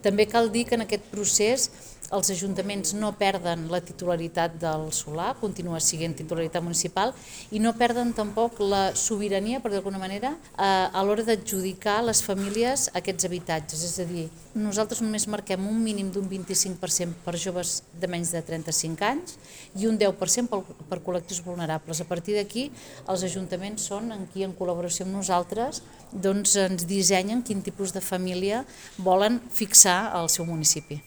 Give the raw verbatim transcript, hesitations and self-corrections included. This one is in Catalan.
També cal dir que en aquest procés els ajuntaments no perden la titularitat del solar, continua sent titularitat municipal, i no perden tampoc la sobirania, per d'alguna manera, a l'hora d'adjudicar a les famílies aquests habitatges. És a dir, nosaltres només marquem un mínim d'un vint-i-cinc per cent per joves de menys de trenta-cinc anys i un deu per cent per col·lectius vulnerables. A partir d'aquí, els ajuntaments són en qui, en col·laboració amb nosaltres, doncs ens dissenyen quin tipus de família volen fixar al seu municipi.